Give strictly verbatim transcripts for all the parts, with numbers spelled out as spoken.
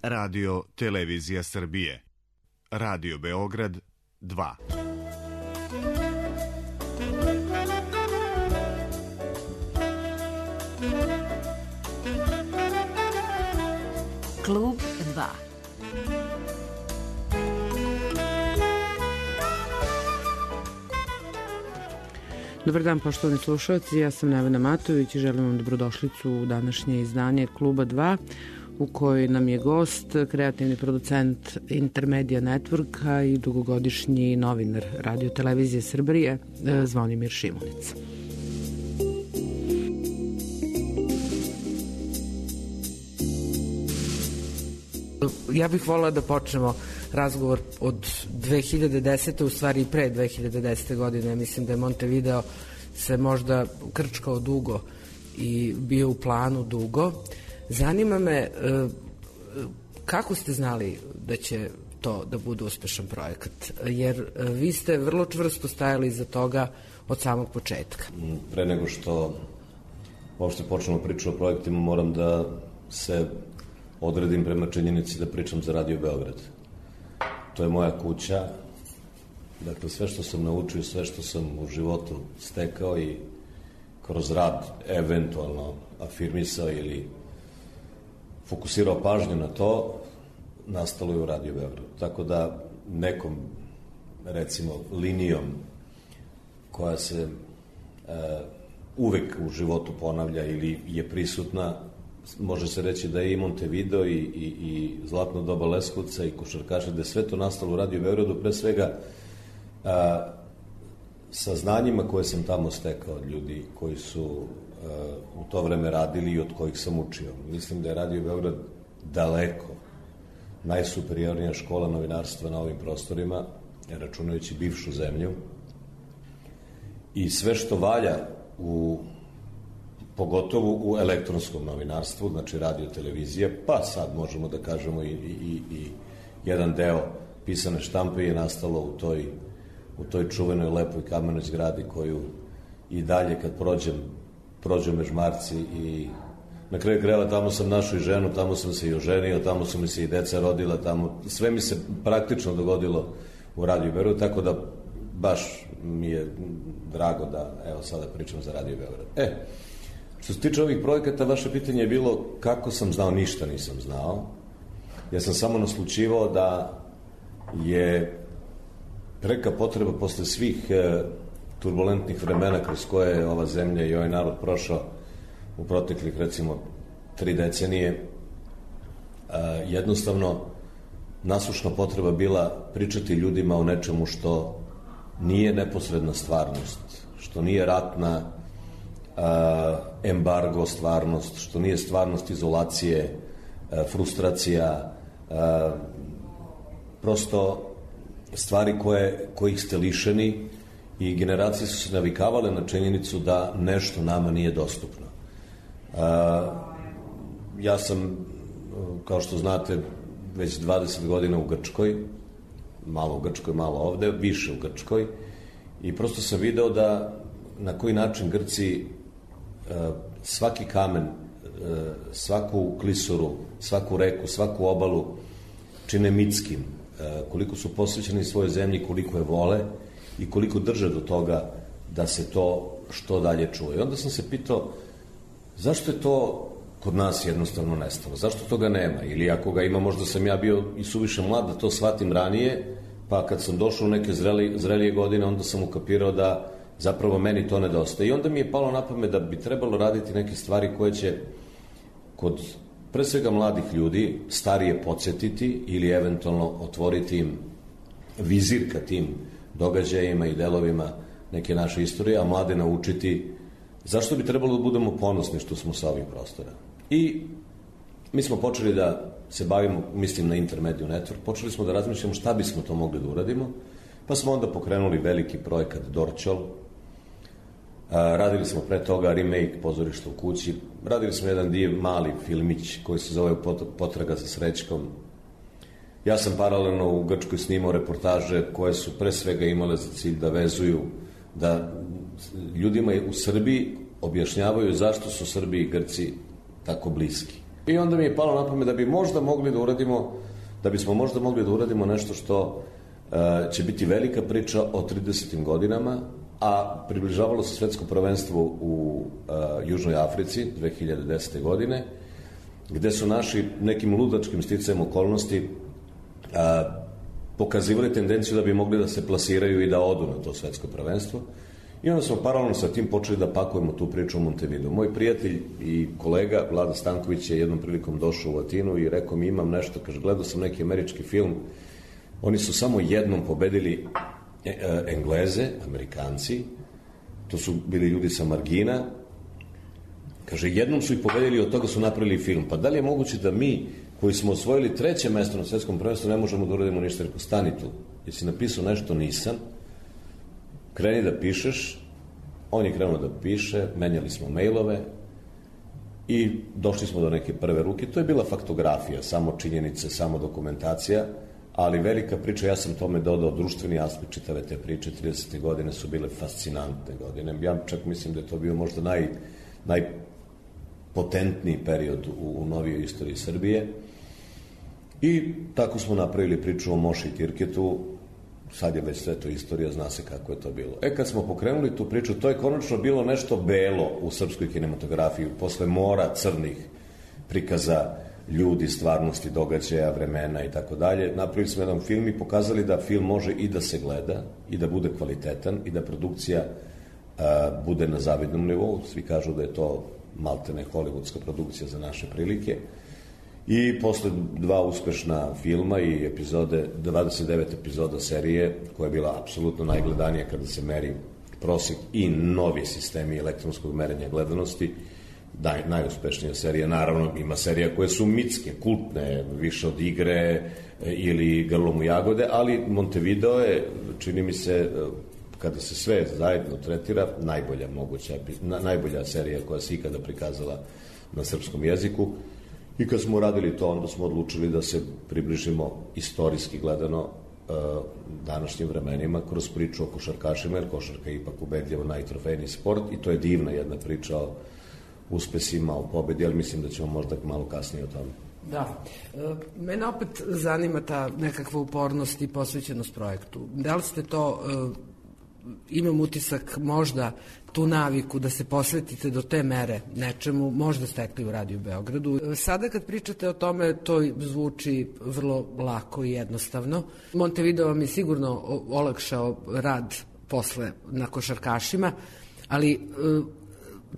Radio Televizija Srbije. Radio Beograd dva. Klub dva. Dobar dan, poštovani slušalci, ja sam Nevena Matović i želim vam dobrodošlicu u današnje izdanje Kluba dva, u kojoj nam je gost kreativni producent Intermedia Networka i dugogodišnji novinar Radio Televizije Srbije Zvonimir Šimunić. Ja bih volila da počnemo razgovor od dve hiljade desete. u stvari i pre dve hiljade desete. godine. Mislim da je Montevideo se možda krčkao dugo i bio u planu dugo. Zanima me kako ste znali da će to da bude uspešan projekat, jer vi ste vrlo čvrsto stajali iza toga od samog početka. Pre nego što uopšte počnemo priču o projektima, moram da se odredim prema činjenici da pričam za Radio Beograd. To je moja kuća. Dakle, sve što sam naučio, sve što sam u životu stekao i kroz rad eventualno afirmisao ili fokusirao pažnju na to, nastalo je u Radio Beograd. Tako da nekom, recimo, linijom koja se e, uvek u životu ponavlja ili je prisutna, može se reći da je i Montevideo i, i, i Zlatno doba Leskovca i košarkaši, da je sve to nastalo u Radio Beogradu, pre svega a, sa znanjima koje sam tamo stekao od ljudi koji su a, u to vreme radili i od kojih sam učio. Mislim da je Radio Beograd daleko najsuperiornija škola novinarstva na ovim prostorima, računajući bivšu zemlju, i sve što valja u pogotovo u elektronskom novinarstvu, znači radio, televizija, pa sad možemo da kažemo i, i, i jedan deo pisane štampe je nastalo u toj, u toj čuvenoj lepoj kamenoj zgradi koju i dalje kad prođem, prođem Mežmarci i na kraju krajeva tamo sam našao i ženu, tamo sam se i oženio, tamo su mi se i deca rodila, tamo sve mi se praktično dogodilo u Radio Beogradu, tako da baš mi je drago da evo sada pričam za Radio Beograd. E, što se tiče ovih projekata, vaše pitanje je bilo kako sam znao, ništa nisam znao. Ja sam samo naslučivao da je preka potreba posle svih e, turbulentnih vremena kroz koje je ova zemlja i ovaj narod prošao u proteklih, recimo, tri decenije, e, jednostavno nasušna potreba bila pričati ljudima o nečemu što nije neposredna stvarnost, što nije ratna Uh, embargo stvarnost, što nije stvarnost izolacije, uh, frustracija, uh, prosto stvari koje, kojih ste lišeni i generacije su se navikavale na činjenicu da nešto nama nije dostupno. Uh, ja sam, kao što znate, već dvadeset godina u Grčkoj, malo u Grčkoj, malo ovde, više u Grčkoj, i prosto sam video da na koji način Grci svaki kamen, svaku klisuru, svaku reku, svaku obalu čine mitskim, koliko su posvećeni svojoj zemlji, koliko je vole i koliko drže do toga da se to što dalje čuje. I onda sam se pitao zašto je to kod nas jednostavno nestalo, zašto toga nema, ili ako ga ima, možda sam ja bio i suviše mlad da to shvatim ranije, pa kad sam došao u neke zreli, zrelije godine, onda sam ukapirao da zapravo meni to nedostaje. I onda mi je palo na pamet da bi trebalo raditi neke stvari koje će kod pre svega mladih ljudi starije podsjetiti ili eventualno otvoriti im vizir ka tim događajima i delovima neke naše istorije, a mlade naučiti zašto bi trebalo da budemo ponosni što smo sa ovih prostora. I mi smo počeli da se bavimo, mislim na Intermedia Network, počeli smo da razmišljamo šta bismo to mogli da uradimo, pa smo onda pokrenuli veliki projekat Dorćol. Radili smo pre toga remake Pozorišta u kući, radili smo jedan div mali filmić koji se zove Potraga za srećkom. Ja sam paralelno u Grčkoj snimao reportaže koje su pre svega imale za cilj da vezuju, da ljudima u Srbiji objašnjavaju zašto su Srbi i Grci tako bliski. I onda mi je palo na pamet da bi možda mogli da uradimo, da bismo možda mogli da uradimo nešto što uh, će biti velika priča o tridesetim godinama, a približavalo se svetsko prvenstvo u uh, Južnoj Africi dve hiljade desete. godine, gde su naši nekim ludačkim sticajem okolnosti uh, pokazivali tendenciju da bi mogli da se plasiraju i da odu na to svetsko prvenstvo. I onda smo paralelno sa tim počeli da pakujemo tu priču u Montevideo. Moj prijatelj i kolega Vlada Stanković je jednom prilikom došao u Atinu i rekao mi imam nešto, kaže, gledao sam neki američki film, oni su samo jednom pobedili Engleze, Amerikanci, to su bili ljudi sa margina, kaže, jednom su ih pobedili i od toga su napravili film. Pa da li je moguće da mi, koji smo osvojili treće mesto na svetskom prvenstvu, ne možemo da uradimo ništa? Rekao, stani tu, jesi napisao nešto? Nisam. Kreni da pišeš. On je krenuo da piše, menjali smo mailove i došli smo do neke prve ruke. To je bila faktografija, samo činjenice, samo dokumentacija, ali velika priča, ja sam tome dodao društveni aspekt čitave te priče. tridesete. godine su bile fascinantne godine. Ja čak mislim da je to bio možda naj, najpotentniji period u, u novijoj istoriji Srbije. I tako smo napravili priču o Moši i Tirketu. Sad je već sve to istorija, zna se kako je to bilo. E, kad smo pokrenuli tu priču, to je konačno bilo nešto belo u srpskoj kinematografiji, posle mora crnih prikaza ljudi, stvarnosti, događaja, vremena i tako dalje. Napravili smo jedan film i pokazali da film može i da se gleda, i da bude kvalitetan, i da produkcija a, bude na zavidnom nivou. Svi kažu da je to maltene hollywoodska produkcija za naše prilike. I posle dva uspešna filma i epizode, dvadeset devet epizoda serije, koja je bila apsolutno najgledanija kada se meri prosek i novi sistemi elektronskog merenja gledanosti, naj, najuspešnija serija. Naravno, ima serija koje su mitske, kultne, više od Igre ili Grlom u jagode, ali Montevideo je, čini mi se, kada se sve zajedno tretira, najbolja moguća, najbolja serija koja se ikada prikazala na srpskom jeziku. I kad smo uradili to, onda smo odlučili da se približimo istorijski gledano današnjim vremenima kroz priču o košarkašima, jer košarka je ipak ubedljivo najtrofejniji sport i to je divna jedna priča o uspesima, o pobedi, ali mislim da ćemo možda malo kasnije o tome. Da. E, mene opet zanima ta nekakva upornost i posvećenost projektu. Da li ste to, e, imam utisak, možda tu naviku da se posvetite do te mere nečemu, možda stekli u Radiju Beogradu. Sada kad pričate o tome, to zvuči vrlo lako i jednostavno. Montevideo vam je sigurno olakšao rad posle na košarkašima, ali e,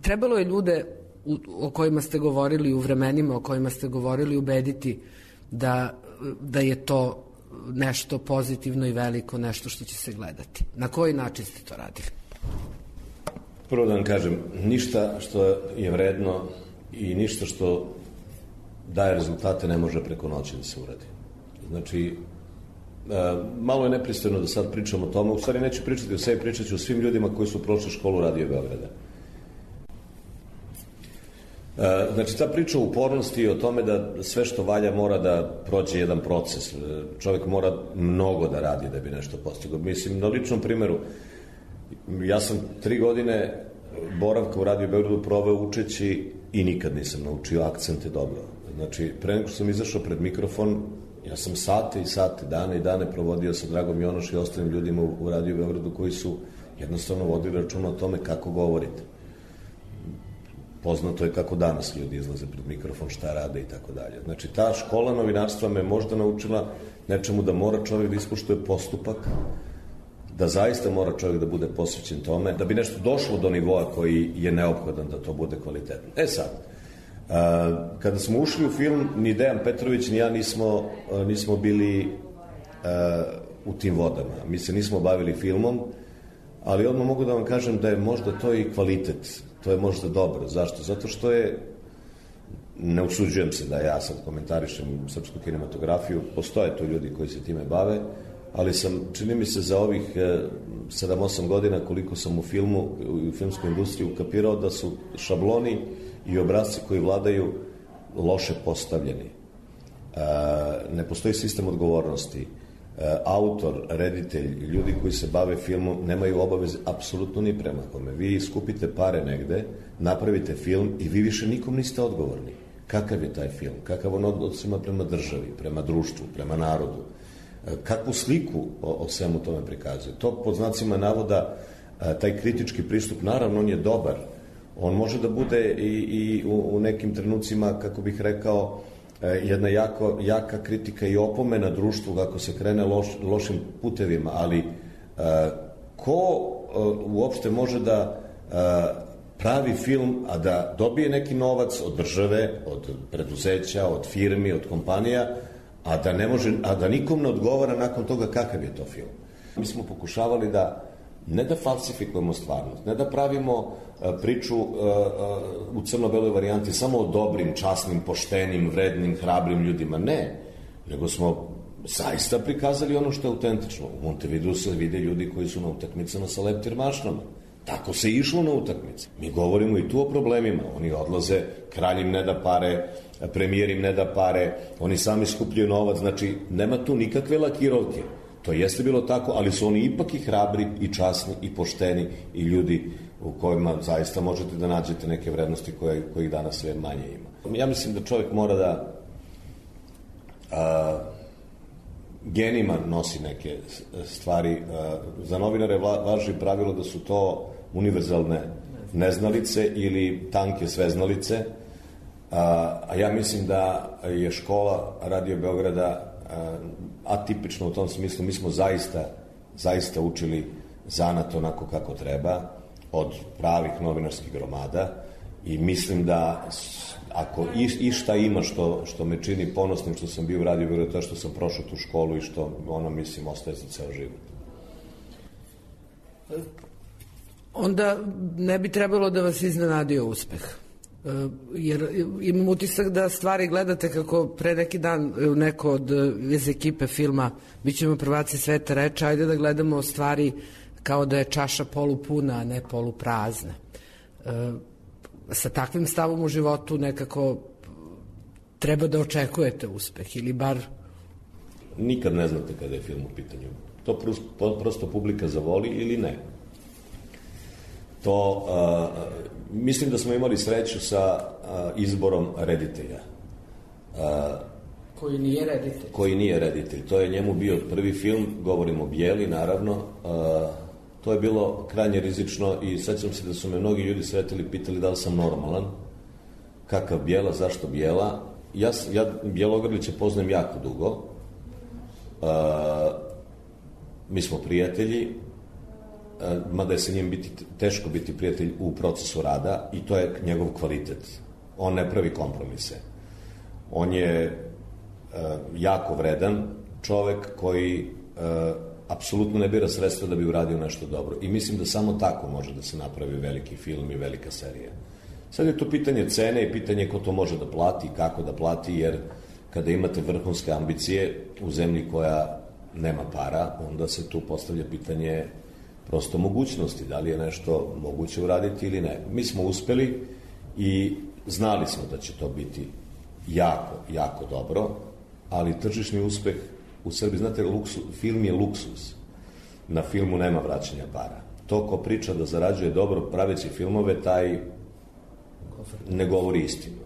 trebalo je ljude u, o kojima ste govorili, u vremenima o kojima ste govorili, ubediti da, da je to nešto pozitivno i veliko, nešto što će se gledati. Na koji način ste to radili? Prvo da vam kažem, ništa što je vredno i ništa što daje rezultate ne može preko noći da se uradi. Znači, malo je nepristojno da sad pričam o tome, u stvari neću pričati o sebi, pričat ću o svim ljudima koji su prošli školu Radio Beograda. Znači, ta priča o upornosti i o tome da sve što valja mora da prođe jedan proces. Čovjek mora mnogo da radi da bi nešto postigao. Mislim, na ličnom primjeru, ja sam tri godine boravka u Radio Beogradu proveo učeći i nikad nisam naučio akcente dobro. Znači, pre nego što sam izašao pred mikrofon, ja sam sate i sate, dane i dane provodio sa Dragom Jonoš i ostalim ljudima u Radio Beogradu koji su jednostavno vodili računa o tome kako govorite. Poznato je kako danas ljudi izlaze pred mikrofon, šta rade i tako dalje. Znači, ta škola novinarstva me možda naučila nečemu da mora čovjek da ispoštuje postupak, da zaista mora čovjek da bude posvećen tome, da bi nešto došlo do nivoa koji je neophodan da to bude kvalitetno. E sad, kada smo ušli u film, ni Dejan Petrović ni ja nismo, nismo bili u tim vodama. Mi se nismo bavili filmom, ali odmah mogu da vam kažem da je možda to i kvalitet. To je možda dobro. Zašto? Zato što je, ne usuđujem se da ja sad komentarišem srpsku kinematografiju, postoje tu ljudi koji se time bave, ali sam, čini mi se, za ovih sedam osam godina koliko sam u filmu, u filmskoj industriji ukapirao da su šabloni i obrazci koji vladaju loše postavljeni. Ne postoji sistem odgovornosti. Autor, reditelj, ljudi koji se bave filmom nemaju obaveze apsolutno ni prema kome. Vi skupite pare negde, napravite film i vi više nikom niste odgovorni. kakav je taj film, kakav on odnos ima prema državi, prema društvu, prema narodu, kakvu sliku o, o svemu tome prikazuje. To pod znacima navoda, taj kritički pristup, naravno on je dobar, on može da bude i, i u, u nekim trenucima, kako bih rekao, jedna jako, jaka kritika i opomena društvu kako se krene loš, lošim putevima, ali ko uopšte može da pravi film, a da dobije neki novac od države, od preduzeća, od firmi, od kompanija, a da ne može, a da nikom ne odgovara nakon toga kakav je to film. Mi smo pokušavali da ne da falsifikujemo stvarnost, ne da pravimo priču u crno-beloj varijanti samo o dobrim, časnim, poštenim, vrednim, hrabrim ljudima. Ne, nego smo zaista prikazali ono što je autentično. U Montevideu se vide ljudi koji su na utakmicama sa leptir-mašnama. Tako se išlo na utakmice. Mi govorimo i tu o problemima. Oni odlaze, kralj im ne da pare, premijer im ne da pare, oni sami skupljaju novac, znači nema tu nikakve lakirovke. To jeste bilo tako, ali su oni ipak i hrabri, i časni, i pošteni, i ljudi u kojima zaista možete da nađete neke vrednosti koje, kojih danas sve manje ima. Ja mislim da čovjek mora da a, genima nosi neke stvari. A, za novinare važi pravilo da su to univerzalne neznalice ili tanke sveznalice, a, a ja mislim da je škola Radio Beograda atipično u tom smislu. Mi smo zaista, zaista učili zanat onako kako treba, od pravih novinarskih gromada, i mislim da ako i, i šta ima što, što me čini ponosnim što sam bio u Radio Beogradu, to što sam prošao tu školu i što ono, mislim, ostaje za ceo život. Onda ne bi trebalo da vas iznenadio uspeh. Jer imam utisak da stvari gledate kako pre neki dan neko od iz ekipe filma Bićemo prvaci sveta reče, ajde da gledamo stvari kao da je čaša polupuna, a ne poluprazna. E, sa takvim stavom u životu nekako treba da očekujete uspeh, ili bar... Nikad ne znate kada je film u pitanju. To prosto, prosto publika zavoli ili ne. To, uh, mislim da smo imali sreću sa uh, izborom reditelja. Uh, koji nije reditelj. Koji nije reditelj. To je njemu bio prvi film, govorimo o Bijeli, naravno. Uh, to je bilo krajnje rizično i sećam se da su me mnogi ljudi sretili, pitali da li sam normalan, kakav Bijela, zašto Bijela. Ja, ja Bjelogrlića poznajem jako dugo. Uh, mi smo prijatelji, mada je sa njim biti, teško biti prijatelj u procesu rada, i to je njegov kvalitet. On ne pravi kompromise. On je uh, jako vredan čovek koji uh, apsolutno ne bira sredstva da bi uradio nešto dobro. I mislim da samo tako može da se napravi veliki film i velika serija. Sad je to pitanje cene i pitanje ko to može da plati i kako da plati, jer kada imate vrhunske ambicije u zemlji koja nema para, onda se tu postavlja pitanje prosto mogućnosti, da li je nešto moguće uraditi ili ne. Mi smo uspeli i znali smo da će to biti jako, jako dobro, ali tržišni uspeh u Srbiji, znate, luksu, film je luksus. Na filmu nema vraćanja para. To ko priča da zarađuje dobro praveći filmove, taj ne govori istinu.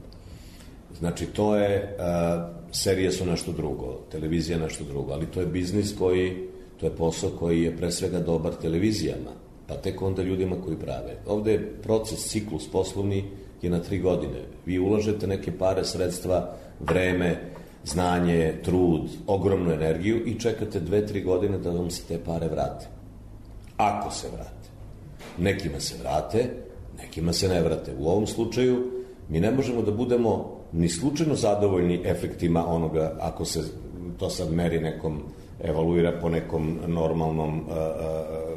Znači, to je, uh, serije su nešto drugo, televizija nešto drugo, ali to je biznis koji, to je posao koji je pre svega dobar televizijama, pa tek onda ljudima koji prave. Ovde je proces, ciklus poslovni je na tri godine. Vi ulažete neke pare, sredstva, vreme, znanje, trud, ogromnu energiju i čekate dve, tri godine da vam se te pare vrate. Ako se vrate. Nekima se vrate, nekima se ne vrate. U ovom slučaju mi ne možemo da budemo ni slučajno zadovoljni efektima onoga, ako se to sad meri nekom, evaluira po nekom normalnom,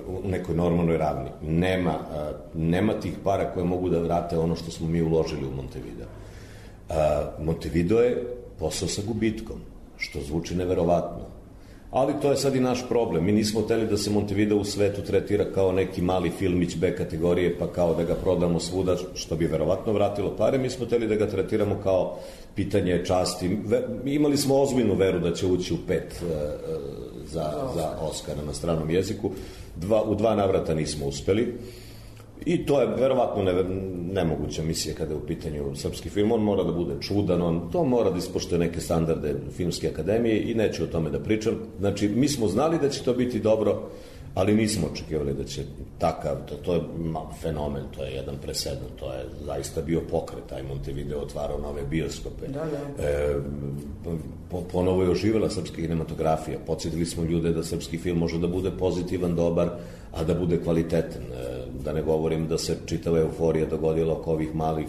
u nekoj normalnoj ravni. Nema, nema tih para koje mogu da vrate ono što smo mi uložili u Montevideo. Montevideo je posao sa gubitkom, što zvuči neverovatno. Ali to je sad i naš problem. Mi nismo hteli da se Montevideo u svetu tretira kao neki mali filmić B kategorije, pa kao da ga prodamo svuda, što bi verovatno vratilo pare. Mi smo hteli da ga tretiramo kao pitanje časti. Imali smo ozbiljnu veru da će ući u pet uh, za, za Oscara na stranom jeziku. Dva, u dva navrata nismo uspeli. I to je verovatno ne, nemoguća misija kada je u pitanju srpski film. On mora da bude čudan, on to mora da ispoštuje neke standarde filmske akademije i neću o tome da pričam. Znači, mi smo znali da će to biti dobro, ali nismo očekivali da će takav, to, to je fenomen, to je jedan presedan, to je zaista bio pokret, taj Montevideo otvarao nove bioskope. Da, da. E, po, ponovo je oživela srpska kinematografija, podsjetili smo ljude da srpski film može da bude pozitivan, dobar, a da bude kvalitetan. E, da ne govorim da se čitava euforija dogodila oko ovih malih,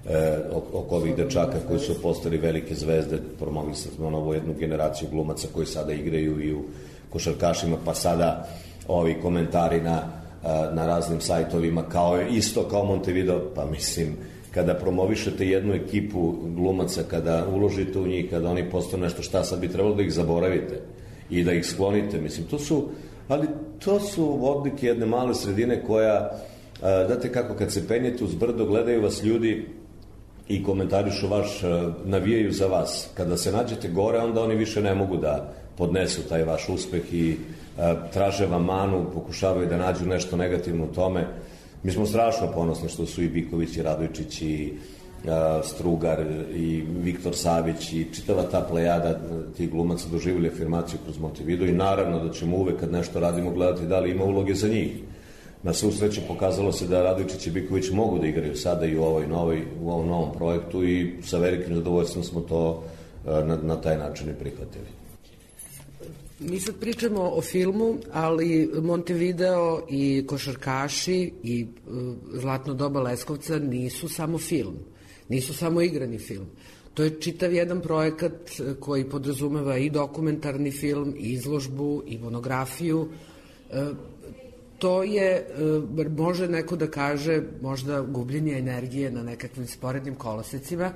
e, oko ovih dečaka koji su postali velike zvezde, promovisali smo novu jednu generaciju glumaca koji sada igraju i u košarkašima, pa sada ovi komentari na, na raznim sajtovima, kao isto kao Montevideo, pa mislim, kada promovišete jednu ekipu glumaca, kada uložite u njih, kada oni postanu nešto, šta sad bi trebalo da ih zaboravite i da ih sklonite, mislim, to su, ali to su odlike jedne male sredine koja, znate kako, kad se penjete uz brdo, gledaju vas ljudi i komentarišu vaš, navijaju za vas. Kada se nađete gore, onda oni više ne mogu da podnesu taj vaš uspeh i traže vam manu, pokušavaju da nađu nešto negativno u tome. Mi smo strašno ponosni što su i Biković i Radojčić i Strugar i Viktor Savić i čitava ta plejada tih glumaca doživjeli afirmaciju kroz Montevideo i naravno da ćemo uvek kad nešto radimo gledati da li ima uloge za njih. Na svu sreću pokazalo se da Radojčić i Biković mogu da igraju sada i u, ovoj novoj, u ovom novom projektu i sa velikim zadovoljstvom smo to na, na taj način i prihvatili. Mi sad pričamo o filmu, ali Montevideo i košarkaši i uh, Zlatno doba Leskovca nisu samo film, nisu samo igrani film. To je čitav jedan projekat koji podrazumeva i dokumentarni film, i izložbu, i monografiju. Uh, to je, uh, može neko da kaže, možda gubljenje energije na nekakvim sporednim kolosecima,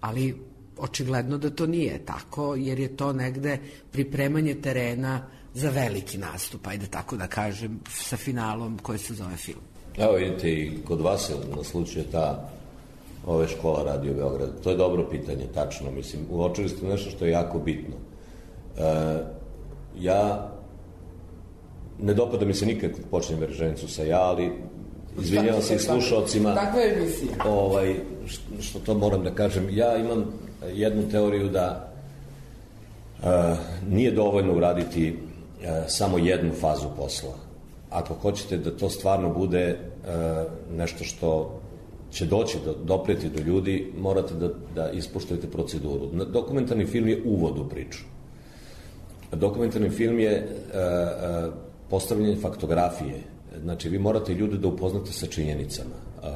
ali očigledno da to nije tako, jer je to negde pripremanje terena za veliki nastup, ajde tako da kažem, sa finalom koji se zove film. Evo vidite, i kod vas se naslučuje ta ove škola Radio Beograd. To je dobro pitanje, tačno. Mislim, uočili ste nešto što je jako bitno. E, ja ne dopada mi se nikad kad počnem rečenicu sa ja, ali izvinjavam se i slušalcima. Takva je emisija. Ovaj, što to moram da kažem. Ja imam jednu teoriju da uh, nije dovoljno uraditi uh, samo jednu fazu posla. Ako hoćete da to stvarno bude uh, nešto što će doći, do, dopreti do ljudi, morate da, da ispoštujete proceduru. Dokumentarni film je uvod u priču. Dokumentarni film je uh, uh, postavljanje faktografije. Znači, vi morate ljude da upoznate sa činjenicama. Uh,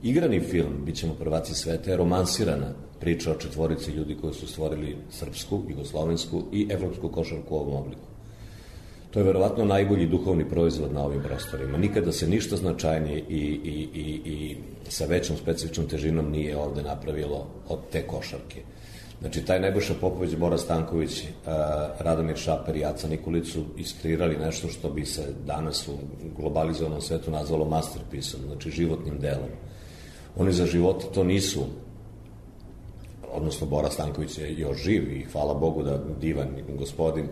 igrani film, bit ćemo prvaci sveta, je romansirana priča o četvorici ljudi koji su stvorili srpsku, jugoslovensku i evropsku košarku u ovom obliku. To je verovatno najbolji duhovni proizvod na ovim prostorima. Nikada se ništa značajnije i, i, i, i sa većom specifičnom težinom nije ovde napravilo od te košarke. Znači, taj Nebojša Popović, Bora Stanković, Radomir Šaper i Aca Nikolić su iskreirali nešto što bi se danas u globalizovanom svetu nazvalo masterpiece-om, znači životnim delom. Oni za života to nisu, odnosno Bora Stanković je još živ i hvala Bogu da divan gospodin,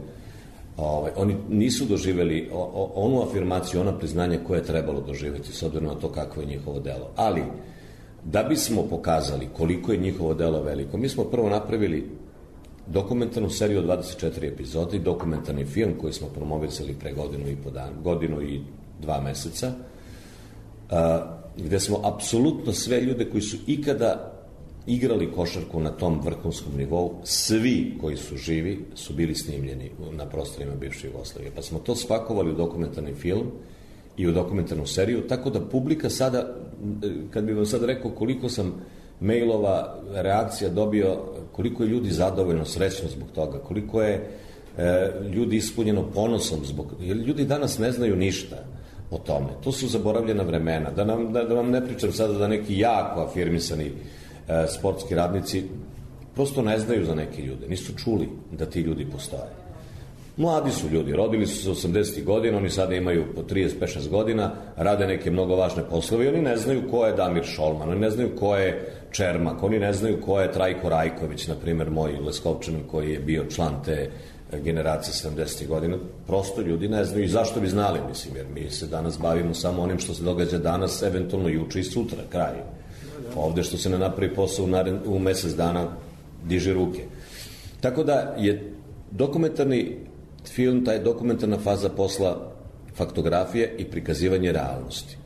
ovaj, oni nisu doživeli o, o, onu afirmaciju, ona priznanja koje je trebalo doživeti s obzirom na to kakvo je njihovo delo. Ali, da bismo pokazali koliko je njihovo delo veliko, mi smo prvo napravili dokumentarnu seriju od dvadeset četiri epizode i dokumentarni film koji smo promovisali pre godinu i po dan, godinu i dva meseca, a, gde smo apsolutno sve ljude koji su ikada igrali košarku na tom vrhunskom nivou, svi koji su živi su bili snimljeni na prostorima bivše Jugoslavije. Pa smo to spakovali u dokumentarni film i u dokumentarnu seriju, tako da publika sada, kad bih vam sad rekao koliko sam mailova, reakcija dobio, koliko je ljudi zadovoljno, srećno zbog toga, koliko je e, ljudi ispunjeno ponosom zbog, jer ljudi danas ne znaju ništa o tome. To su zaboravljena vremena. Da, nam, da, da vam ne pričam sada da neki jako afirmisani e, sportski radnici prosto ne znaju za neke ljude, nisu čuli da ti ljudi postoje. Mladi su ljudi, rodili su se osamdesetih godina, oni sada imaju po trideset pet šest godina, rade neke mnogo važne poslove i oni ne znaju ko je Damir Šolman, oni ne znaju ko je Čermak, oni ne znaju ko je Trajko Rajković, na primjer moj Leskovčanin koji je bio član te generacije sedamdesetih godina, prosto ljudi ne znaju i zašto bi znali, mislim, jer mi se danas bavimo samo onim što se događa danas, eventualno juče i sutra, kraj. Ovde što se ne napravi posao u, naren, u mesec dana, diže ruke. Tako da je dokumentarni film, taj dokumentarna faza posla faktografije i prikazivanje realnosti.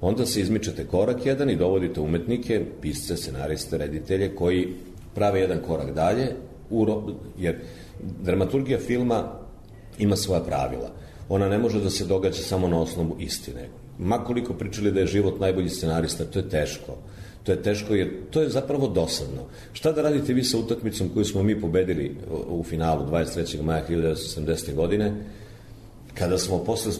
Onda se izmičete korak jedan i dovodite umetnike, pisce, scenariste, reditelje, koji prave jedan korak dalje, jer dramaturgija filma ima svoja pravila. Ona ne može da se događa samo na osnovu istine. Makoliko pričali da je život najbolji scenarista, to je teško. To je teško jer to je zapravo dosadno. Šta da radite vi sa utakmicom koju smo mi pobedili u finalu dvadeset trećeg maja hiljadu devetsto sedamdesete. godine, kada smo posle,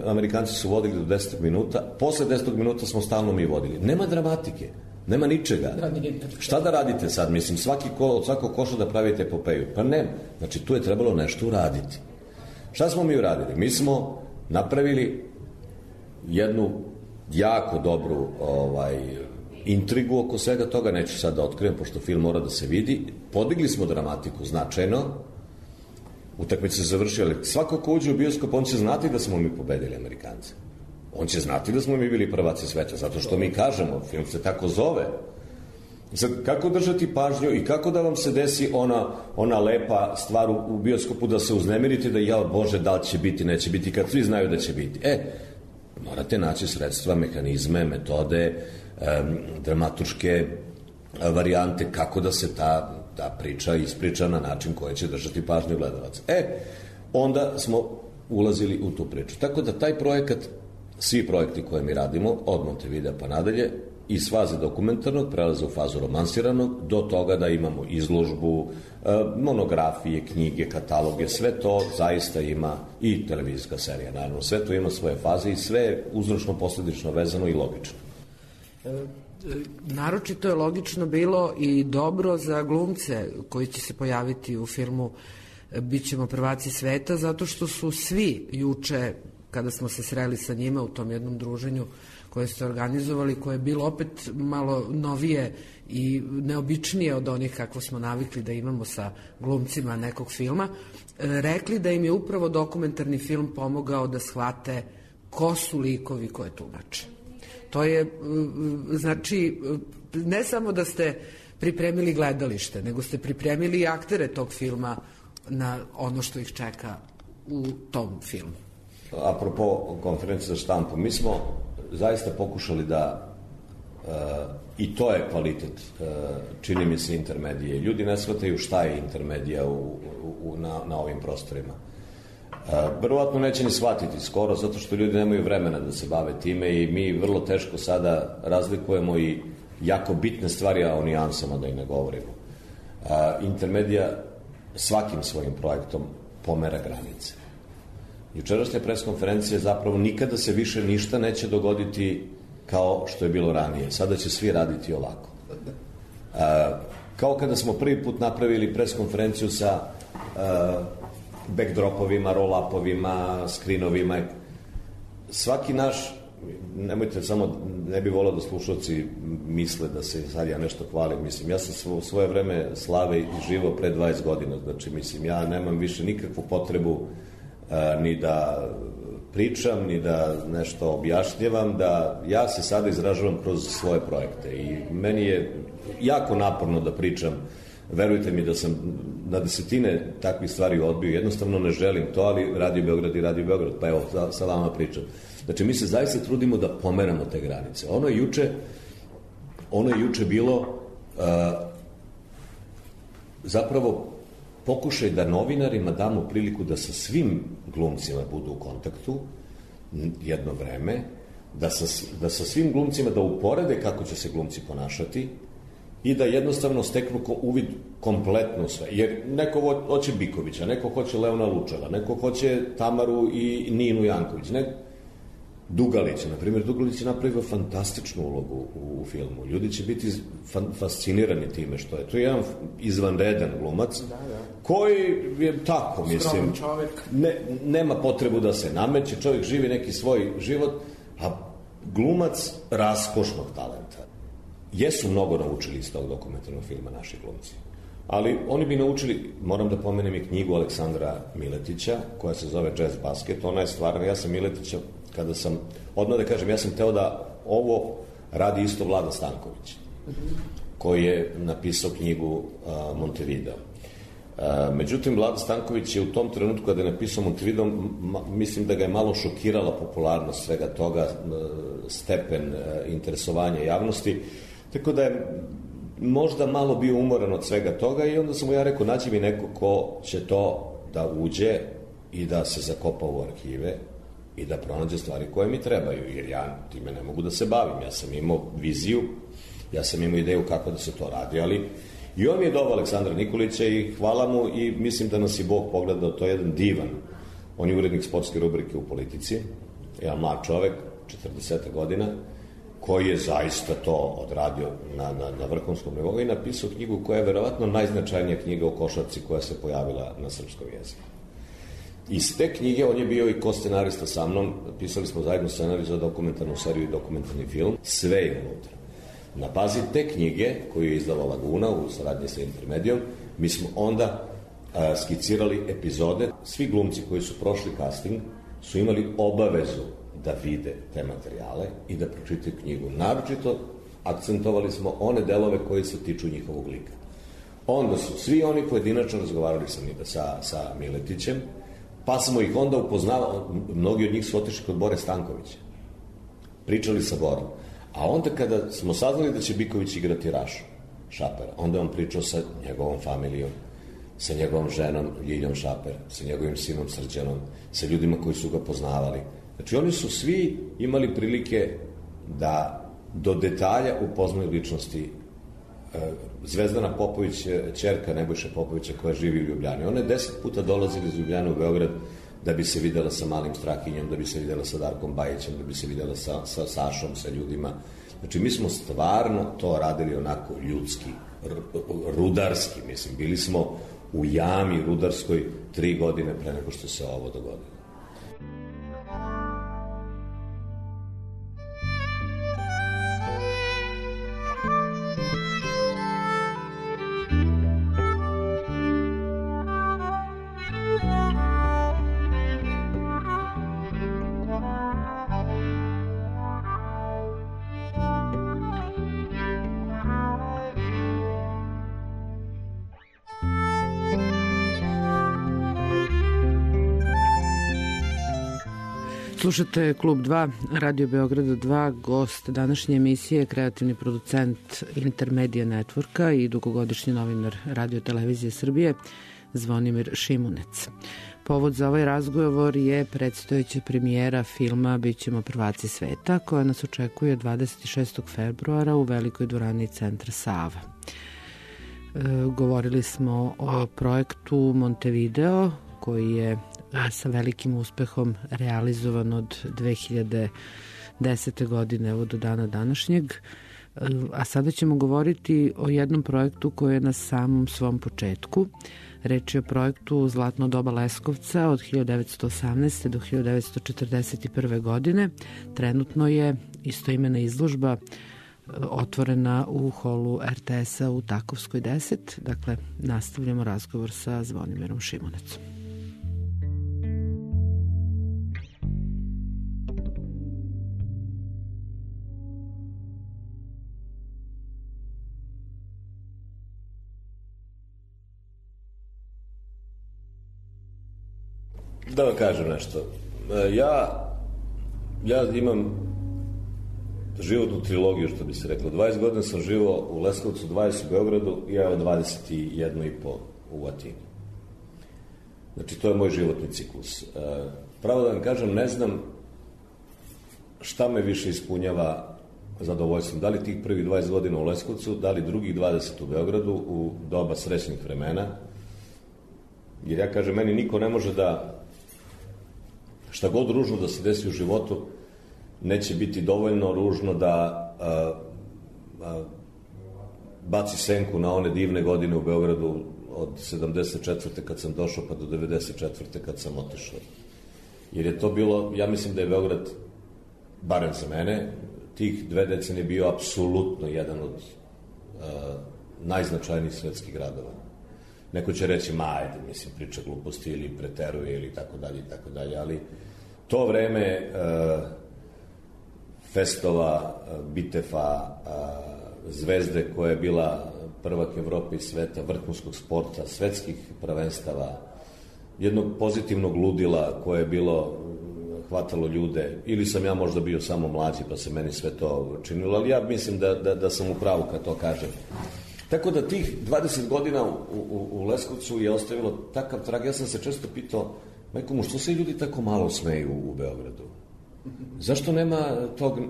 Amerikanci su vodili do deset minuta, posle deset minuta smo stalno mi vodili. Nema dramatike, nema ničega. Šta da radite sad? Mislim, svaki ko, od svakog koša da pravite epopeju. Pa nema. Znači, tu je trebalo nešto uraditi. Šta smo mi uradili? Mi smo napravili jednu jako dobru ovaj, intrigu oko svega toga, neću sad da otkrijem, pošto film mora da se vidi. Podigli smo dramatiku značajno, utakmica se završila, ali svako ko uđe u bioskop, on će znati da smo mi pobedili Amerikance. On će znati da smo mi bili prvaci sveta, zato što mi kažemo, film se tako zove. Sad, kako držati pažnju i kako da vam se desi ona, ona lepa stvar u bioskopu da se uznemirite, da ja, Bože, da li će biti, neće biti, kad svi znaju da će biti. E, morate naći sredstva, mehanizme, metode, um, dramaturške varijante, kako da se ta, ta priča ispriča na način koji će držati pažnju gledalaca. E, onda smo ulazili u tu priču. Tako da taj projekat, svi projekti koje mi radimo, od Montevidea pa nadalje, iz faze dokumentarnog prelaze u fazu romansiranog, do toga da imamo izložbu, monografije, knjige, kataloge, sve to zaista ima, i televizijska serija, naravno, sve to ima svoje faze i sve je uzročno-posledično vezano i logično. Naročito je logično bilo i dobro za glumce koji će se pojaviti u filmu Bićemo prvaci sveta, zato što su svi juče, kada smo se sreli sa njima u tom jednom druženju koje ste organizovali, koje je bilo opet malo novije i neobičnije od onih kako smo navikli da imamo sa glumcima nekog filma, rekli da im je upravo dokumentarni film pomogao da shvate ko su likovi koje tumače. To je, znači, ne samo da ste pripremili gledalište, nego ste pripremili i aktere tog filma na ono što ih čeka u tom filmu. Apropo konferencije za štampu, mi smo zaista pokušali da, uh, i to je kvalitet, uh, čini mi se, intermedije. Ljudi ne shvataju šta je intermedija u, u, na, na ovim prostorima. Uh, verovatno neće ni shvatiti skoro, zato što ljudi nemaju vremena da se bave time i mi vrlo teško sada razlikujemo i jako bitne stvari, a o nijansama da i ne govorimo. Uh, intermedija svakim svojim projektom pomera granice. Jučerašnja preskonferencija zapravo nikada se više ništa neće dogoditi kao što je bilo ranije. Sada će svi raditi ovako. A, kao kada smo prvi put napravili preskonferenciju sa a, backdropovima, roll-upovima, screenovima. Svaki naš, nemojte samo, ne bi volao da slušalci misle da se sad ja nešto hvalim. Mislim, ja sam u svoje vreme slave i živo pre dvadeset godina. Znači, mislim, ja nemam više nikakvu potrebu ni da pričam, ni da nešto objašnjavam, da ja se sada izražavam kroz svoje projekte i meni je jako naporno da pričam. Verujte mi da sam na desetine takvih stvari odbio, jednostavno ne želim to, ali Radio Beograd i Radio Beograd, pa evo, sa vama pričam. Znači, mi se zaista trudimo da pomeramo te granice. Ono je juče, ono je juče bilo uh, zapravo pokušaj da novinarima damo priliku da sa svim glumcima budu u kontaktu jedno vreme, da sa, da sa svim glumcima da uporede kako će se glumci ponašati i da jednostavno steknu ko, uvid kompletno sve. Jer neko hoće Bikovića, neko hoće Leona Lučeva, neko hoće Tamaru i Ninu Janković, neko Dugalić, na primjer, Dugalić je napravio fantastičnu ulogu u, u filmu. Ljudi će biti fan, fascinirani time što je. To je jedan izvanredan glumac, da, da. Koji je tako, mislim, ne, nema potrebu da se nameće, čovjek živi neki svoj život, a glumac raskošnog talenta. Jesu mnogo naučili iz tog dokumentarnog filma naši glumci. Ali oni bi naučili, moram da pomenem i knjigu Aleksandra Miletića, koja se zove Jazz Basket. Ona je stvarno, ja sam Miletića, kada sam, odmah da kažem, ja sam teo da ovo radi isto Vlada Stanković, koji je napisao knjigu a, Montevideo. A, međutim, Vlada Stanković je u tom trenutku kada je napisao Montevideo, ma, mislim da ga je malo šokirala popularnost svega toga, stepen a, interesovanja javnosti, tako da je možda malo bio umoran od svega toga i onda sam mu ja rekao, nađi mi neko ko će to da uđe i da se zakopa u arhive i da pronađe stvari koje mi trebaju, jer ja time ne mogu da se bavim. Ja sam imao viziju, ja sam imao ideju kako da se to radi, ali i on mi je doveo Aleksandra Nikolića i hvala mu i mislim da nas i Bog pogledao, to je jedan divan. On je urednik sportske rubrike u Politici, jedan mlad čovek, četrdeset godina, koji je zaista to odradio na, na, na vrhunskom nivou i napisao knjigu koja je verovatno najznačajnija knjiga o košarci koja se pojavila na srpskom jeziku. Iz te knjige on je bio i ko-scenarista sa mnom, pisali smo zajedno scenarij za dokumentarnu seriju i dokumentarni film, sve je unutra. Na bazi te knjige, koju je izdala Laguna u saradnji sa Intermedijom, mi smo onda a, skicirali epizode. Svi glumci koji su prošli casting su imali obavezu da vide te materijale i da pročitaju knjigu. Naročito akcentovali smo one delove koji se tiču njihovog lika. Onda su svi oni pojedinačno razgovarali sa, sa, sa Miletićem, pa smo ih onda upoznavali, mnogi od njih su otišli kod Bore Stankovića, pričali sa Borom. A onda kada smo saznali da će Biković igrati Rašu, Šapera, onda on pričao sa njegovom familijom, sa njegovom ženom Ljiljom Šaper, sa njegovim sinom Srđanom, sa ljudima koji su ga poznavali. Znači, oni su svi imali prilike da do detalja upoznaju ličnosti. Zvezdana Popović, ćerka Nebojša Popovića koja živi u Ljubljani. Ona je deset puta dolazila iz Ljubljane u Beograd da bi se videla sa Malim Strahinjom, da bi se videla sa Darkom Bajićem, da bi se videla sa, sa Sašom, sa ljudima. Znači, mi smo stvarno to radili onako ljudski, rudarski, mislim. Bili smo u jami rudarskoj tri godine pre nego što se ovo dogodilo. Slušate Klub dva, Radio Beograda dva, gost današnje emisije, kreativni producent Intermedia Networka i dugogodišnji novinar Radio Televizije Srbije, Zvonimir Šimunec. Povod za ovaj razgovor je predstojeća premijera filma Bićemo prvaci sveta, koja nas očekuje dvadeset šestog februara u velikoj dvorani Centra Sava. E, govorili smo o projektu Montevideo, koji je sa velikim uspehom realizovan od dve hiljade desete. godine evo do dana današnjeg. A sada ćemo govoriti o jednom projektu koji je na samom svom početku. Reč je o projektu Zlatno doba Leskovca od hiljadu devetsto osamnaeste. do hiljadu devetsto četrdeset prve. godine. Trenutno je istoimena izložba otvorena u holu er te es-a u Takovskoj deset. Dakle, nastavljamo razgovor sa Zvonimirom Šimunecom. Da vam kažem nešto. Ja, ja imam životnu trilogiju, što bi se reklo. dvadeset godina sam živao u Leskovcu, dvadeset u Beogradu i ja dvadeset jedno i po u Atini. Znači, to je moj životni ciklus. Pravo da vam kažem, ne znam šta me više ispunjava zadovoljstvom. Da li tih prvih dvadeset godina u Leskovcu, da li drugih dvadeset u Beogradu u doba srećnih vremena. Jer ja kažem, meni niko ne može da šta god ružno da se desi u životu, neće biti dovoljno ružno da a, a, baci senku na one divne godine u Beogradu od sedamdeset četvrte kad sam došao pa do devedeset četvrte kad sam otišao. Jer je to bilo, ja mislim da je Beograd, barem za mene, tih dve decenije bio apsolutno jedan od a, najznačajnijih svetskih gradova. Neko će reći, ma, ajde, mislim, priča gluposti ili preteruje ili tako dalje i tako dalje, ali to vreme e, festova, bitefa, Zvezde koja je bila prvak Evrope i sveta, vrhunskog sporta, svetskih prvenstava, jednog pozitivnog ludila koje je bilo, hvatalo ljude, ili sam ja možda bio samo mlađi pa se meni sve to činilo, ali ja mislim da, da, da sam u pravu kad to kažem. Tako da tih dvadeset godina u, u, u Leskovcu je ostavilo takav trag. Ja sam se često pitao, majko mu, što se ljudi tako malo smeju u Beogradu? Zašto nema tog... Uh,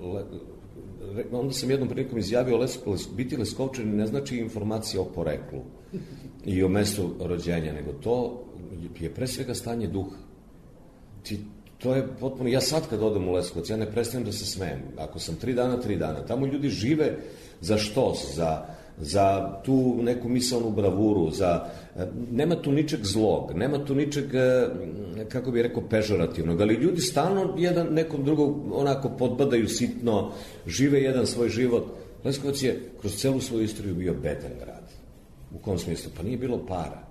uh, le, onda sam jednom prilikom izjavio, les, les, biti Leskovčanin ne znači informacija o poreklu i o mestu rođenja, nego to je pre svega stanje duha. Ti, to je potpuno... Ja sad kad odem u Leskovac, ja ne prestajem da se smejem. Ako sam tri dana, tri dana. Tamo ljudi žive za štos, za, za tu neku misaonu bravuru, za... Nema tu ničeg zlog, nema tu ničeg, kako bih rekao, pežorativnog, ali ljudi stalno jedan nekom drugog onako podbadaju sitno, žive jedan svoj život. Leskovac je kroz celu svoju istoriju bio bedan grad. U kom smislu? Pa nije bilo para.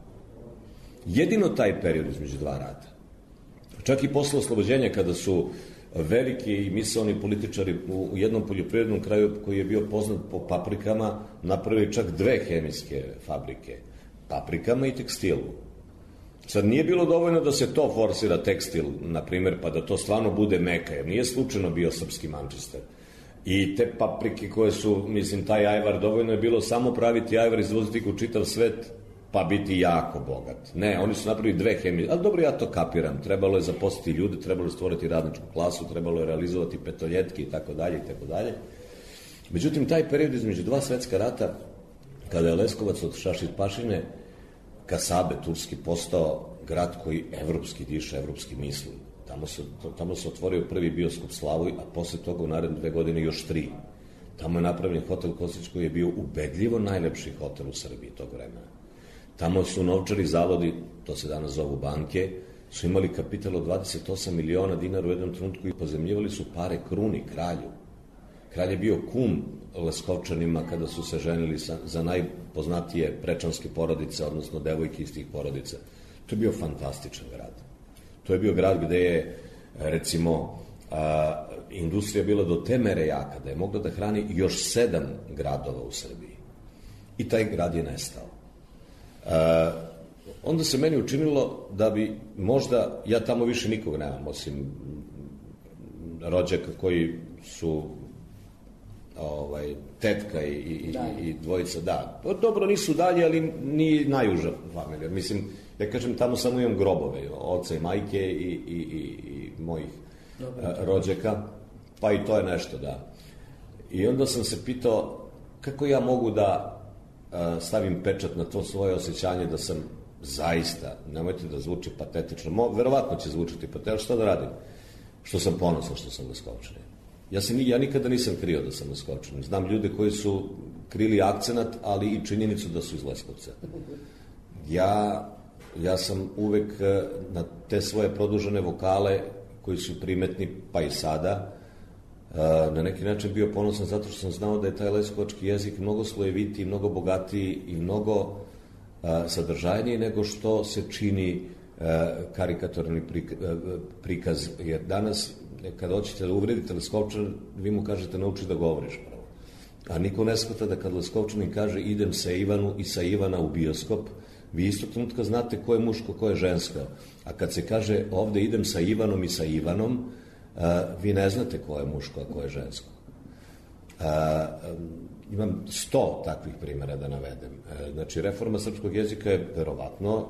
Jedino taj period između dva rata. Čak i posle oslobođenja, kada su veliki i misaoni političari u jednom poljoprivrednom kraju koji je bio poznat po paprikama, napravili čak dve hemijske fabrike. Paprikama i tekstilu. Sad nije bilo dovoljno da se to forsira tekstil, na primjer, pa da to stvarno bude meka, jer nije slučajno bio srpski Manchester. I te paprike koje su, mislim, taj ajvar, dovoljno je bilo samo praviti ajvar, izvoziti u čitav svet, pa biti jako bogat. Ne, oni su napravili dve hemije, ali dobro, ja to kapiram. Trebalo je zaposliti ljude, trebalo je stvoriti radničku klasu, trebalo je realizovati petoljetke i tako dalje i tako dalje. Međutim, taj period između dva svetska rata, kada je Leskovac od Šašid-Pašine, Kasabe, turski, postao grad koji evropski diše, evropski misli. Tamo se, tamo se otvorio prvi bioskop Slavoj, a posle toga u naredne dve godine još tri. Tamo je napravljen hotel Kostić koji je bio ubedljivo najlepši hotel u Srbiji tog vremena. Tamo su novčari zavodi, to se danas zovu banke, su imali kapital od dvadeset osam miliona dinara u jednom trenutku i pozemljivali su pare kruni, kralju. Kralj je bio kum Leskovčanima kada su se ženili sa, za najpoznatije prečanske porodice, odnosno devojke iz tih porodica. To je bio fantastičan grad. To je bio grad gde je, recimo, a, industrija bila do te mere jaka da je mogla da hrani još sedam gradova u Srbiji. I taj grad je nestao. A, onda se meni učinilo da bi možda, ja tamo više nikog nemam, osim rođaka koji su ovaj, tetka i, i, i dvojica, da. Dobro, nisu dalje, ali ni najuža familija. Mislim, ja kažem, tamo samo imam grobove, oca i majke i, i, i, i mojih a, rođaka, pa i to je nešto, da. I onda sam se pitao kako ja mogu da a, stavim pečat na to svoje osjećanje da sam zaista, nemojte da zvuči patetično, Mo, verovatno će zvučiti patetično, šta da radim? Što sam ponosan što sam Leskovčanin. Ja, se, ja nikada nisam krio da sam Leskovčanin. Znam ljude koji su krili akcenat, ali i činjenicu da su iz Leskovca. Ja, ja sam uvek na te svoje produžene vokale, koji su primetni, pa i sada, na neki način bio ponosan zato što sam znao da je taj leskovački jezik mnogo slojevitiji, mnogo bogatiji i mnogo sadržajniji nego što se čini karikatorni prikaz. Jer danas, kada hoćete da uvredite Leskovčan, vi mu kažete nauči da govoriš pravo. A niko ne shvata da kad Leskovčanin kaže idem sa Ivanu i sa Ivana u bioskop, vi isto trenutka znate ko je muško, ko je žensko. A kad se kaže ovde idem sa Ivanom i sa Ivanom, a, vi ne znate ko je muško, a ko je žensko. A, imam sto takvih primjera da navedem. E, znači, reforma srpskog jezika je verovatno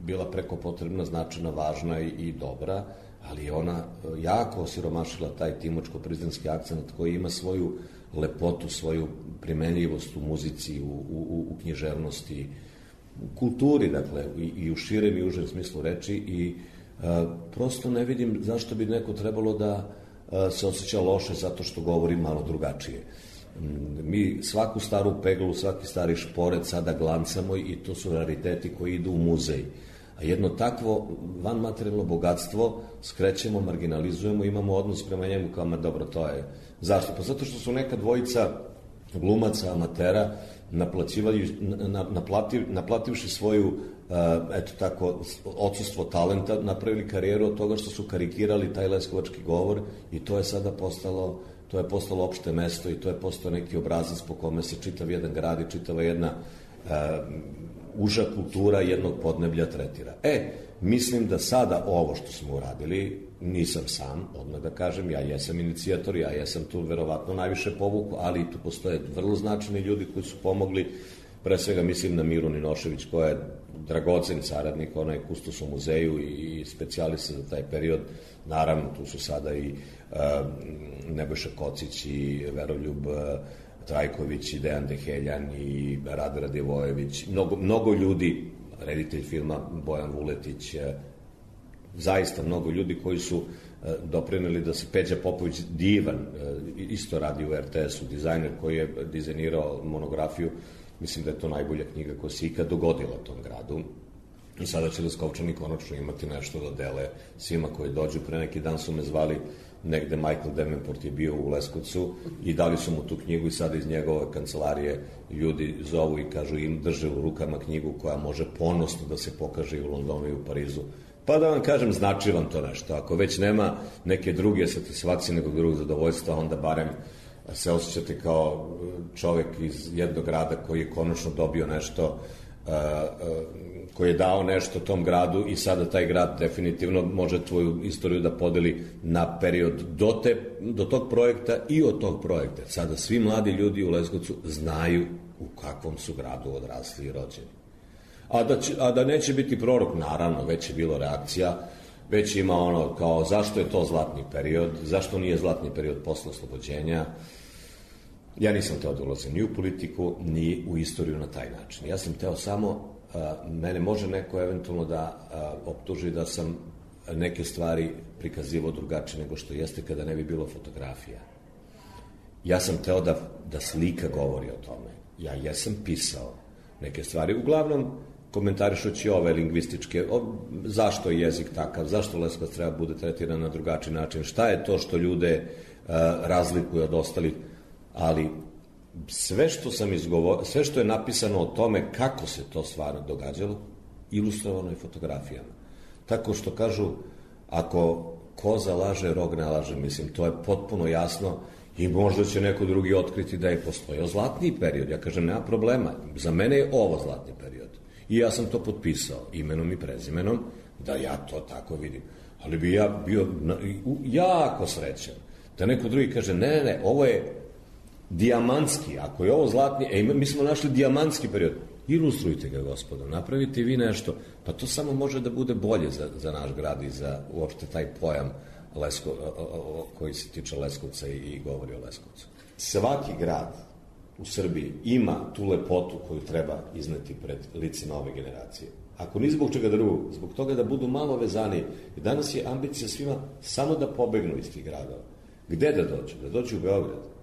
bila preko potrebna, značajna, važna i, i dobra, ali je ona jako osiromašila taj timočko-prizrenski akcent koji ima svoju lepotu, svoju primenljivost u muzici, u, u, u književnosti, u kulturi, dakle, i, i u širem i užem smislu reči i a, prosto ne vidim zašto bi neko trebalo da a, se osjeća loše zato što govori malo drugačije. Mi svaku staru peglu, svaki stari šporet sada glancamo i to su rariteti koji idu u muzej. A jedno takvo vanmaterijalno bogatstvo skrećemo, marginalizujemo, imamo odnos prema njemu kao, ma dobro, to je... Zašto? Pa zato što su neka dvojica glumaca, amatera naplativ, naplativši svoju eto tako, odsustvo talenta, napravili karijeru od toga što su karikirali taj leskovački govor i to je sada postalo, to je postalo opšte mesto i to je postao neki obrazac po kome se čitav jedan grad i čitava jedna uh, uža kultura jednog podneblja tretira. E, mislim da sada ovo što smo uradili, nisam sam, odmah da kažem, ja jesam inicijator, ja jesam tu verovatno najviše povuku, ali i tu postoje vrlo značajni ljudi koji su pomogli. Pre svega mislim na Miru Ninošević, koja je dragocen saradnik, ona je kustos u muzeju i specijalista za taj period. Naravno, tu su sada i uh, Nebojša Kocić i Veroljub uh, Trajković i Dejan Deheljan i Rade Radivojević. Mnogo, mnogo ljudi, reditelj filma Bojan Vuletić, uh, zaista mnogo ljudi koji su uh, doprineli da se Peđa Popović, divan, uh, isto radi u er te esu, dizajner koji je dizajnirao monografiju. Mislim da je to najbolja knjiga koja se ikad dogodila tom gradu. I sada će Leskovčani konačno imati nešto da dele svima koji dođu. Pre neki dan su me zvali negde, Michael Davenport je bio u Leskovcu i dali su mu tu knjigu i sada iz njegove kancelarije ljudi zovu i kažu im drže u rukama knjigu koja može ponosno da se pokaže i u Londonu i u Parizu. Pa da vam kažem, znači vam to nešto. Ako već nema neke druge satisfakcije nekog drugog zadovoljstva, onda barem se osjećate kao čovek iz jednog grada koji je konačno dobio nešto, koji je dao nešto tom gradu i sada taj grad definitivno može tvoju istoriju da podeli na period do, te, do tog projekta i od tog projekta. Sada svi mladi ljudi u Leskovcu znaju u kakvom su gradu odrasli i rođeni. A da, će, a da neće biti prorok, naravno, već je bilo reakcija, već ima ono kao zašto je to zlatni period, zašto nije zlatni period posle oslobođenja. Ja nisam teo da ulazim ni u politiku, ni u istoriju na taj način. Ja sam teo samo, a, mene može neko eventualno da a, optuži da sam neke stvari prikazivao drugačije nego što jeste kada ne bi bilo fotografija. Ja sam teo da, da slika govori o tome. Ja jesam pisao neke stvari, uglavnom komentarišući ove lingvističke, o, zašto je jezik takav, zašto Leskovac treba bude tretiran na drugačiji način, šta je to što ljude a, razlikuje od ostalih, ali sve što sam izgovorio, sve što je napisano o tome kako se to stvarno događalo, ilustrovano je fotografijama. Tako što kažu, ako koza laže, rog ne laže, mislim, to je potpuno jasno i možda će neko drugi otkriti da je postojao zlatni period. Ja kažem, nema problema, za mene je ovo zlatni period. I ja sam to potpisao imenom i prezimenom, da ja to tako vidim. Ali bi ja bio jako srećan da neko drugi kaže, ne, ne, ne, ovo je dijamantski, ako je ovo zlatni, e, mi smo našli dijamantski period, ilustrujte ga, gospodo, napravite vi nešto, pa to samo može da bude bolje za, za naš grad i za uopšte taj pojam Lesko, o, o, koji se tiče Leskovca i, i govori o Leskovcu. Svaki grad u Srbiji ima tu lepotu koju treba izneti pred lice nove generacije. Ako ni zbog čega drugog, zbog toga da budu malo vezani. Danas je ambicija svima samo da pobegnu iz tih gradova. Gde da dođu? Da dođu u Beograd.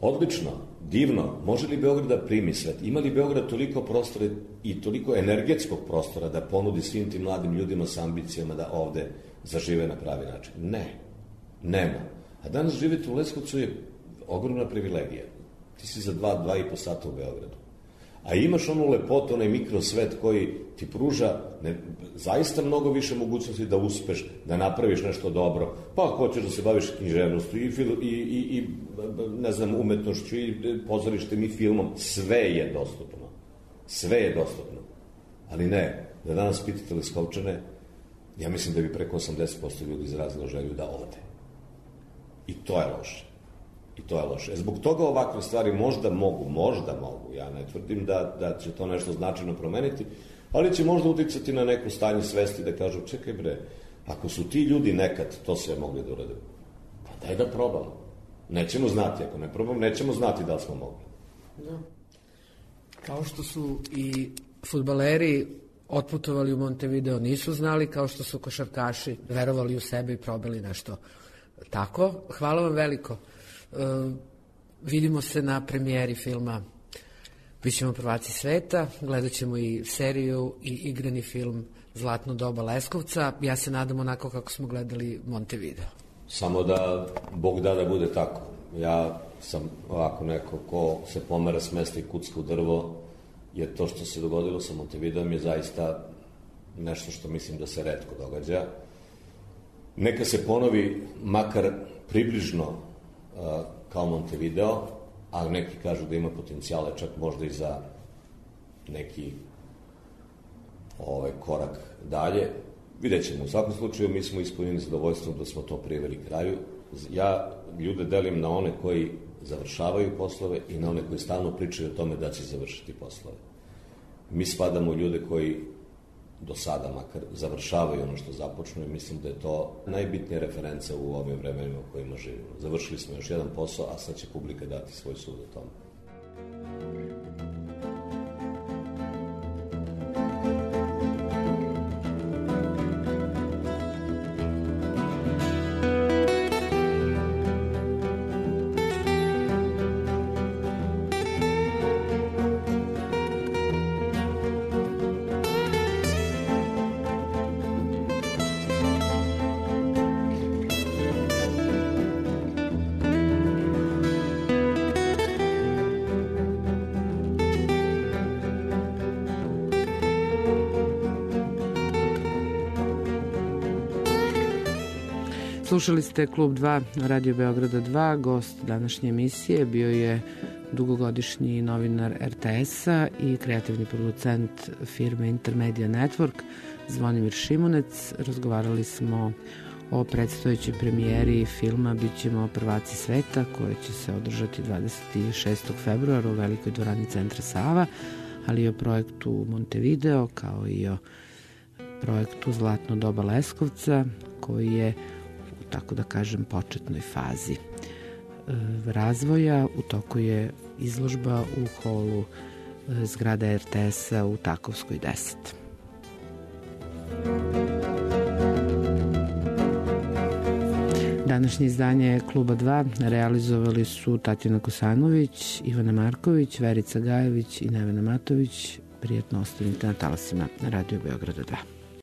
Odlično, divno, može li Beograd da primi svet? Ima li Beograd toliko prostora i toliko energetskog prostora da ponudi svim tim mladim ljudima sa ambicijama da ovde zažive na pravi način? Ne, nema. A danas živjeti u Leskovcu je ogromna privilegija. Ti si za dva, dva i po sata u Beogradu. A imaš onu lepotu, onaj mikrosvet koji ti pruža ne, zaista mnogo više mogućnosti da uspeš, da napraviš nešto dobro. Pa hoćeš da se baviš književnostu i, i, i, i ne znam, umetnošću i pozorištem i filmom. Sve je dostupno. Sve je dostupno. Ali ne, da danas pitate Leskovčane, ja mislim da bi preko osamdeset posto ljudi izrazilo želju da ode. I to je loše. I to je loše. Zbog toga ovakve stvari možda mogu, možda mogu, ja ne tvrdim da, da će to nešto značajno promeniti, ali će možda uticati na neko stanje svesti da kažu, čekaj bre, ako su ti ljudi nekad to sve mogli da urade, pa daj da probamo. Nećemo znati, ako ne probamo, nećemo znati da li smo mogli. Da. Kao što su i fudbaleri otputovali u Montevideo, nisu znali, kao što su košarkaši verovali u sebe i probali nešto tako. Hvala vam veliko. Uh, vidimo se na premijeri filma Bićemo prvaci sveta, gledat ćemo i seriju i igrani film Zlatno doba Leskovca. Ja se nadam onako kako smo gledali Montevideo. Samo da Bog da da bude tako. Ja sam ovako neko ko se pomera s mesta i kucka u drvo, jer to što se dogodilo sa Montevideom je zaista nešto što mislim da se retko događa. Neka se ponovi makar približno uh, kao Montevideo, a neki kažu da ima potencijale čak možda i za neki ovaj, korak dalje. Vidjet ćemo. U svakom slučaju mi smo ispunjeni zadovoljstvom da smo to priveli kraju. Ja ljude delim na one koji završavaju poslove i na one koji stalno pričaju o tome da će završiti poslove. Mi spadamo u ljude koji do sada makar završavaju ono što započnu i mislim da je to najbitnija referenca u ovim vremenima u kojima živimo. Završili smo još jedan posao, a sad će publika dati svoj sud o tome. Slušali ste Klub dva Radio Beograda dva. Gost današnje emisije bio je dugogodišnji novinar er te es-a i kreativni producent firme Intermedia Network Zvonimir Šimunec. Razgovarali smo o predstojećoj premijeri filma Bićemo prvaci sveta, koje će se održati dvadeset šestog februara u Velikoj dvorani Centra Sava, ali i o projektu Montevideo, kao i o projektu Zlatno doba Leskovca, koji je, tako da kažem, početnoj fazi e, razvoja. U toku je izložba u holu e, zgrada er te es-a u Takovskoj deset. Današnje izdanje Kluba dva realizovali su Tatjana Kosanović, Ivana Marković, Verica Gajević i Nevena Matović. Prijetno ostanite na talasima Radio Beograda dva.